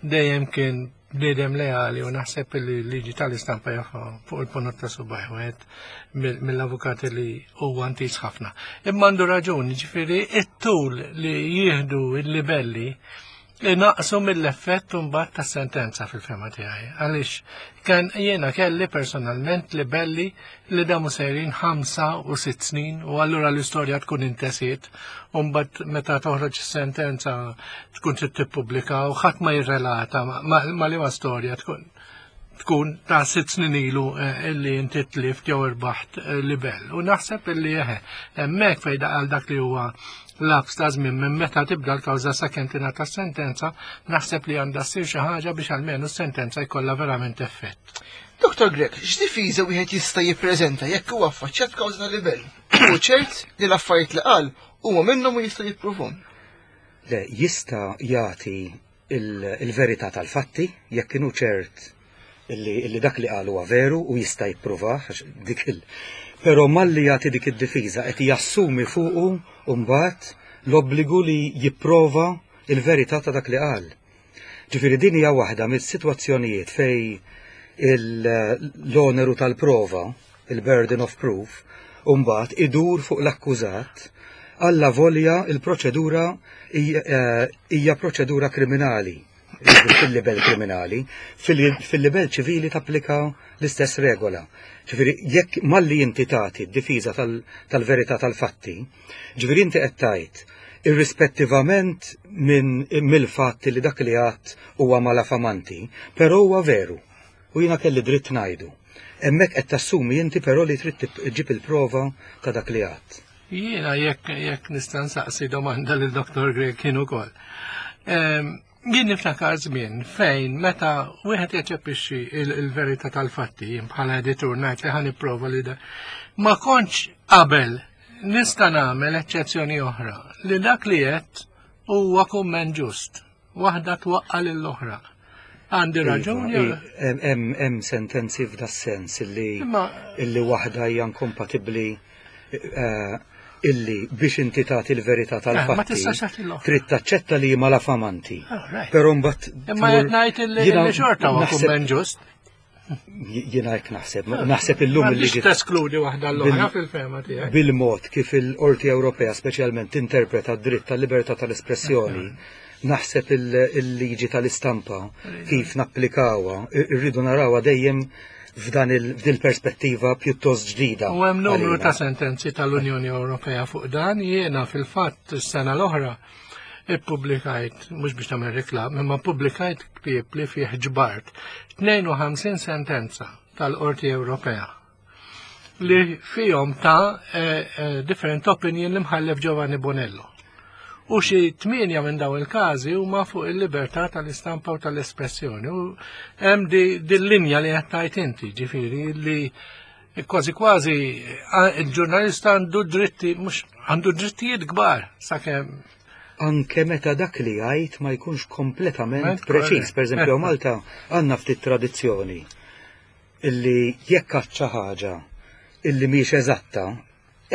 dejjem kien bniedem leali u naħseb li l-liġi tal-istampa jafa fuq il-ponot ta' subaj wieħed mill-avukati li huwa antiż ħafna. Imma għandu raġun, ġifieri it-tul li jieħdu il-libelli naqsu mill-effett mbagħad tas-sentenza fil-fema tiegħi. Għaliex kan jiena kelli personalment libelli li damu sejrin 5 u 6 snin u allura l-istorja tkun intesiet u mbagħad meta toħroġ sentenza tkun trid tippubblika u ħadd ma jirrelata ma liema storja tkun ta' 6 snin ilu illi inti tlift jew irbaħt libel. U naħseb illi eħe, hemmhekk fejn għal dak li huwa lapse ta' żmien minn meta tibda l-kawża sakemm tingħata sentenza, naħseb li għandha ssir xi ħaġa biex almenu s-sentenza jkollha verament effett. Dr. Grech, x'difiża wieħed jista' jippreżenta jekk huwa affaċċjat kawża ta' libel? U ċert li l-affarijiet li qal huma minnhom u jista' jippruvhom. Le, jista' jagħti il-verità tal-fatti jekk kienu ċert illi dak li qal huwa veru u jista' jippruvah dik il. Però malli jagħti dik id-difiża qed jassumi fuqu mbagħad l-obbligu li jipprova il-verità ta' dak li qal. Ġifieri din hija waħda mis-sitwazzjonijiet fej l-oneru tal-prova, il-burden of proof, mbagħad idur fuq l-akkużat alla volja il-proċedura hija proċedura kriminali fil-livell kriminali, fil-livell ċivili tapplika l-istess regola. Ġifieri, jekk malli inti tagħti d-difiża tal-verità tal-fatti, ġifieri inti qed tgħid irrispettivament minn mill-fatt li dak li għadt huwa malafamanti, però huwa veru. U jiena kelli dritt ngħidu. Hemmhekk qed tassumi inti però li trid ġib il-prova ta' dak li għadt. Jiena jekk nista' nsaqsi domanda lil Dr. Grech kien ukoll. Jien niftakar żmien fejn meta wieħed jaċċeppixxi il-verità tal-fatti jien bħala editur ngħid li ħa nipprova li da. Ma kontx qabel nista' nagħmel eċċezzjoni oħra li dak li qed huwa kumment ġust. Waħda twaqqa' lill-oħra. Għandi Iva, raġun Hemm sentenzi f'da sens illi waħda hija inkompatibbli illi biex inti tagħti l-verità Eh, ma tal-fatti tistax tagħti l-oħra. trid taċċetta li malafamanti. All right. Però mbagħad Imma qed ngħid illi jiena illi xorta huwa naħseb- kumment ġust. Jiena hekk naħseb, naħseb illum M'għandix il-liġi teskludi waħda l-oħra fil-fehma tiegħek. bil-mod kif il-Qorti Ewropea speċjalment tinterpreta d-dritt tal-libertà tal-espressjoni, naħseb il-liġi tal-istampa kif napplikawha, irridu narawha dejjem f'dan il-perspettiva pjuttost ġdida. U hemm numru ta' sentenzi tal-Unjoni Ewropea fuq dan jiena fil-fatt is-sena l-oħra ippubblikajt, mhux biex nagħmel reklam, imma ppubblikajt ktieb li fih ġbart 52 sentenza tal-Qorti Ewropea li fihom ta' eh, eh, different opinion li mħallef Giovanni Bonello. U xi tmienja minn daw il-każi huma fuq il-libertà tal-istampa u tal-espressjoni. U hemm din linja li qed tgħid inti, ġifieri li kważi kważi il-ġurnalista għandu dritti mhux għandu drittijiet kbar sakemm anke meta dak li jgħid ma jkunx kompletament preċiż. Per eżempju, Malta għandna ftit tradizzjoni illi jekk għad xi ħaġa illi mhix eżatta,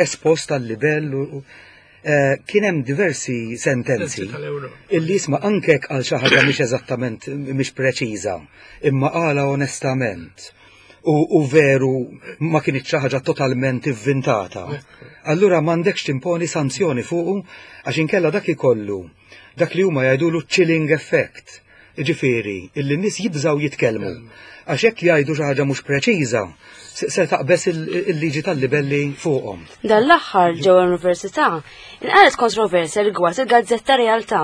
espost għal libell u eh, kien hemm diversi sentenzi illi jisma' anke għal xi ħaġa mhix eżattament mhix preċiża, imma qala onestament u, u veru ma kienx xi ħaġa totalment ivvintata. Allura m'għandekx timponi sanzjoni fuqu għax inkella dak ikollu dak li huma jgħidulu chilling effect. Jiġifieri, illi n-nies jibżgħu jitkellmu. Għax jekk jgħidu xi ħaġa mhux preċiża, se taqbeż il-liġi tal-libelli fuqhom. Dan l-aħħar ġewwa l-Università inqalgħet kontroversja rigward il-gazzetta Realtà.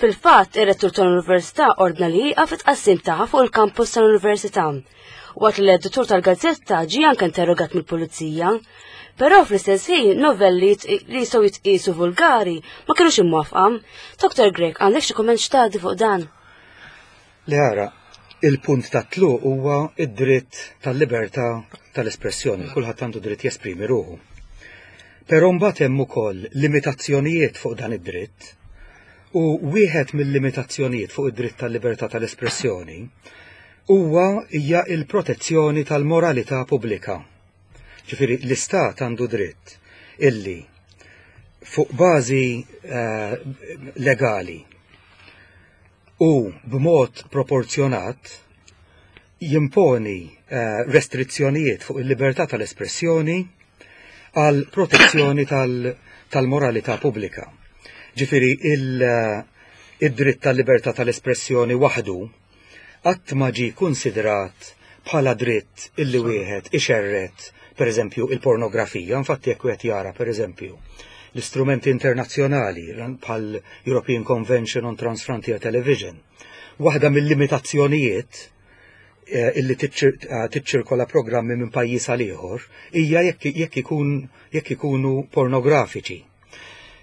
Fil-fatt, ir-rettur tal-Università ordna li jieqaf it-tqassim tagħha fuq il-kampus tal-Università. Waqt li l-editur tal-gazzetta ġie anke interrogat mill-pulizija. Però fl-istess ħin novelli li jistgħu jitqiesu vulgari ma kinux imwafqa. Dr. Grech, għandek xi kumment x'tgħaddi fuq dan? Le ara, il-punt ta' tluq huwa id-dritt tal-libertà tal-espressjoni, kulħadd għandu dritt jesprimi ruħu. Però mbagħad hemm ukoll limitazzjonijiet fuq dan id-dritt u wieħed mill-limitazzjonijiet fuq id-dritt tal-libertà tal-espressjoni huwa hija il-protezzjoni tal-moralità pubblika. Ġifieri l-istat għandu dritt illi fuq bażi eh, legali u b'mod proporzjonat jimponi eh, restrizzjonijiet fuq il-libertà tal-espressjoni għal protezzjoni tal-moralità pubblika. Ġifieri eh, id-dritt tal-libertà tal-espressjoni waħdu qatt ma ġie kunsidrat bħala dritt illi wieħed ixerred, pereżempju, il-pornografija. Infatti jekk wieħed jara, pereżempju, l-istrumenti internazzjonali bħal European Convention on Transfrontier Television, waħda mill-limitazzjonijiet eh, illi eh, tiċċirkola programmi minn pajjiż għal ieħor hija jekk ikun jekk ikunu pornografiċi.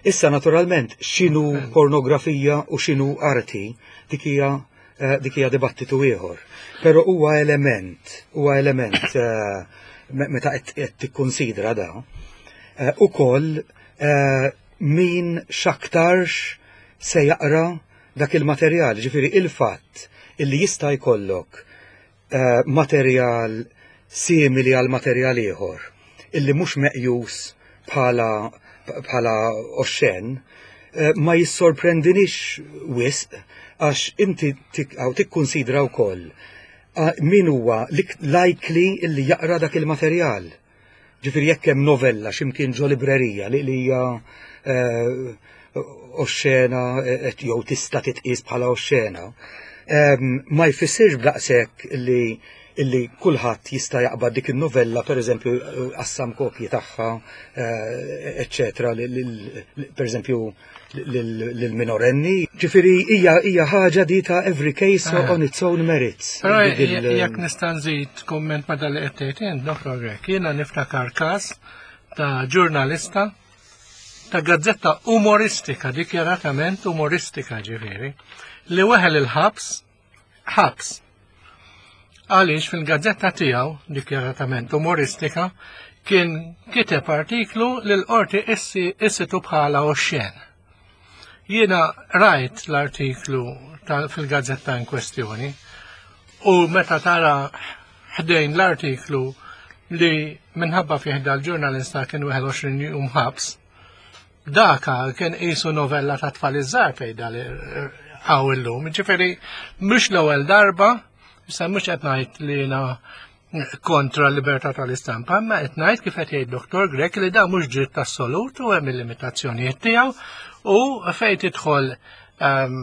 Issa naturalment x'inhu pornografija u x'inhu arti dik hija eh, dik hija dibattitu ieħor. Però huwa element, huwa element eh, meta qed tikkunsidra da, eh, ukoll min x'aktarx se jaqra dak il-materjal, ġifieri il-fatt illi jista' jkollok materjal simili għal materjal ieħor illi mhux meqjus bħala bħala oxxen eh, ma jissorprendinix wisq għax inti tikkunsidra wkoll min huwa likely illi jaqra dak il-materjal. Ġifieri jekk hemm novella x'imkien ġo librerija li hija eh, oxxena eh, jew tista' titqies bħala oxxena, ehm, ma jfissirx b'daqshekk li illi kulħadd jista' jaqbad dik in-novella pereżempju qassam kopji tagħha, eh, eċċetera, pereżempju lill-minorenni. Ġifieri hija hija ħaġa di ta' every case eh. on its own merits. Però jekk nista' nżid kumment ma' dal qed tgħid int, Dr. Grech, jiena niftakar każ ta' ġurnalista ta' gazzetta umoristika, dikjaratament umoristika ġifieri, li weħel il-ħabs ħabs. Għaliex fil-gazzetta tiegħu, dikjaratament umoristika, kien kiteb artiklu li l-qorti issitu bħala oxxen. Jiena rajt l-artiklu fil-gazzetta in kwestjoni u meta tara ħdejn l-artiklu li minħabba fih dal-ġurnalista kien 21 jum ħabs, Daka kien qisu novella ta' tfal iż-żgħar fejn dal hawn illum. Ġifieri mhux l-ewwel darba, issa mhux qed ngħid li jiena kontra l-libertà tal-istampa, imma qed ngħid kif qed jgħid Dr. Grech li dan mhux dritt assolut u hemm il-limitazzjonijiet tiegħu u fejn tidħol ehm,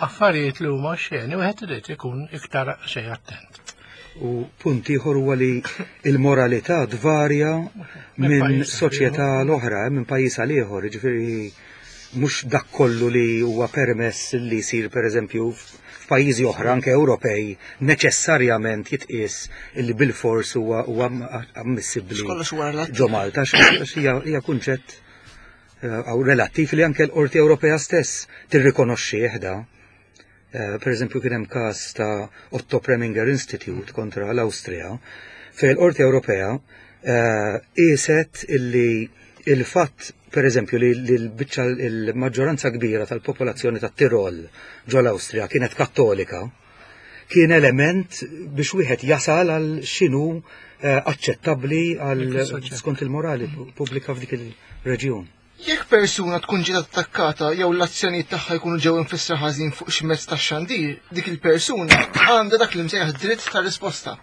affarijiet li huma xeni wieħed irid ikun iktar xejn attent. U punt ieħor huwa li il-moralità tvarja minn soċjetà l-oħra, minn pajjiż għal ieħor, jiġifieri mhux dak kollu li huwa permess li jsir pereżempju f'pajjiżi oħra anke Ewropej neċessarjament jitqies li bilfors huwa ammissibbli ġo Malta għax hija kunċett eh, relattiv li anke l-Qorti Ewropea stess tirrikonoxxih da. Eh, per eżempju kien hemm każ ta' Otto Preminger Institute kontra l-Awstrija, fejn l-Qorti Ewropea eh, qiset illi il-fatt per eżempju li l-biċċa il-maġġoranza kbira tal-popolazzjoni ta' Tirol ġo l-Awstrija kienet kattolika, kien element biex wieħed jasal għal x'inhu eh, aċċettabbli għal skont il-morali pubblika f'dik il-reġjun. Jekk persuna tkun ġiet attakkata jew l-azzjonijiet tagħha jkunu ġew imfissra ħażin fuq xi mezz tax-xandir, dik il-persuna għandha dak li msejjaħ dritt ta' risposta.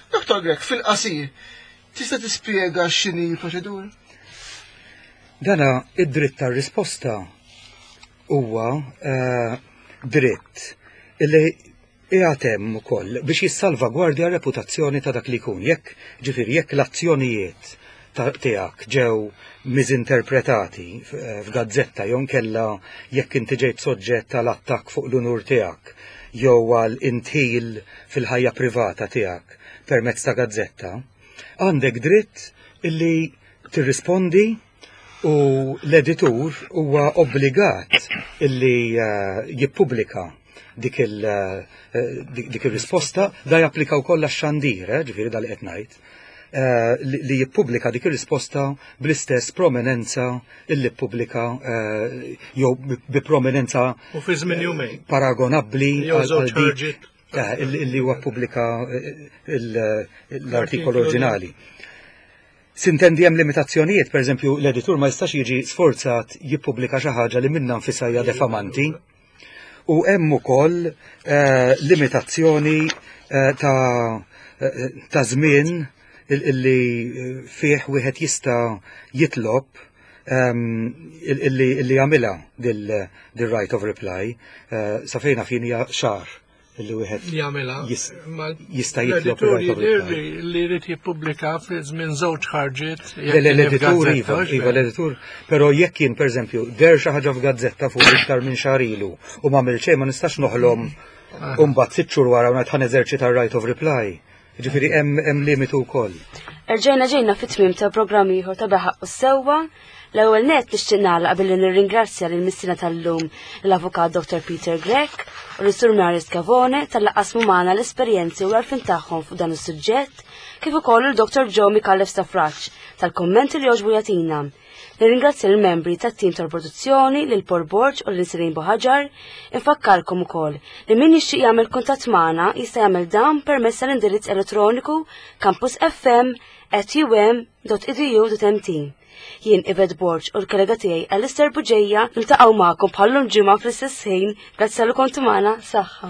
Dr. Grech, fil-qasir, tista' tispjega x'inhi l-proċedura? Dana id-dritt tar-risposta huwa eh, dritt illi qiegħed hemm ukoll biex jissalvagwardja r-reputazzjoni ta' dak li jkun. Jekk, ġifieri, jekk l-azzjonijiet tiegħek ġew miżinterpretati f'gazzetta jew inkella jekk inti ġejt soġġett għal attakk fuq l-unur tiegħek jew għal indħil fil-ħajja privata tiegħek permezz ta' gazzetta, għandek dritt illi tirrispondi u l-editur huwa obbligat illi jippubblika dik eh, dik ir-risposta da japplika wkoll għax-xandir, eh, ġifieri da li qed ngħid, eh, li jippubblika dik ir-risposta bl-istess prominenza illi ppubblika jew bi prominenza u fi żmien jumejn paragonabbli għal dik illi huwa ppubblika l-artikolu oriġinali. Sintendi hemm limitazzjonijiet, pereżempju l-editur ma jistax jiġi sforzat jippubblika xi ħaġa li minnha nfisha hija defamanti. U hemm ukoll eh, limitazzjoni eh, ta' eh, ta' żmien illi fih wieħed jista' jitlob ehm, illi jagħmilha dil-right of reply sa fejna fin hija xahar li wieħed jagħmilha jista' jitlob li jrid jippubblika fi żmien żewġ ħarġiet. L-editur iva, iva l-editur, però jekk jien pereżempju der xi ħaġa f'gazzetta fuq iktar minn xahar ilu u m'għamil xejn ma nistax noħlom u mbagħad sitt xhur wara u ngħid ħa neżerċita r-right of reply. Ġifieri hemm limitu wkoll. Erġajna ġejna fit-tmiem ta' programm ieħor ta' Beħaq u Sewwa. L-ewwel nett nixtieq nagħlaq billi nirringrazzja lil missiena tal-lum l-Avukat Dr. Peter Grech u lis-Sur Mario Scavone talli qasmu magħna l-esperjenzi u l-għarfien tagħhom fuq dan is-suġġett, kif ukoll lil Dr. Joe Micallef Stafrace tal-kummenti li għoġbu jagħtina. Nirringrazzja lill-membri tat-tim tal-produzzjoni, lil Paul Borg u lil Sirin Buħaġar. Infakkarkom ukoll li min jixtieq jagħmel kuntatt magħna jista' jagħmel dan permezz tal-indirizz elettroniku campusfm@um.edu.mt. Jien Yvette Borg u l-kollega tiegħi Alistair Buġeja niltaqgħu magħkom bħallum ġimgħa fl-istess ħin. Grazzi tal kontu magħna, saħħa.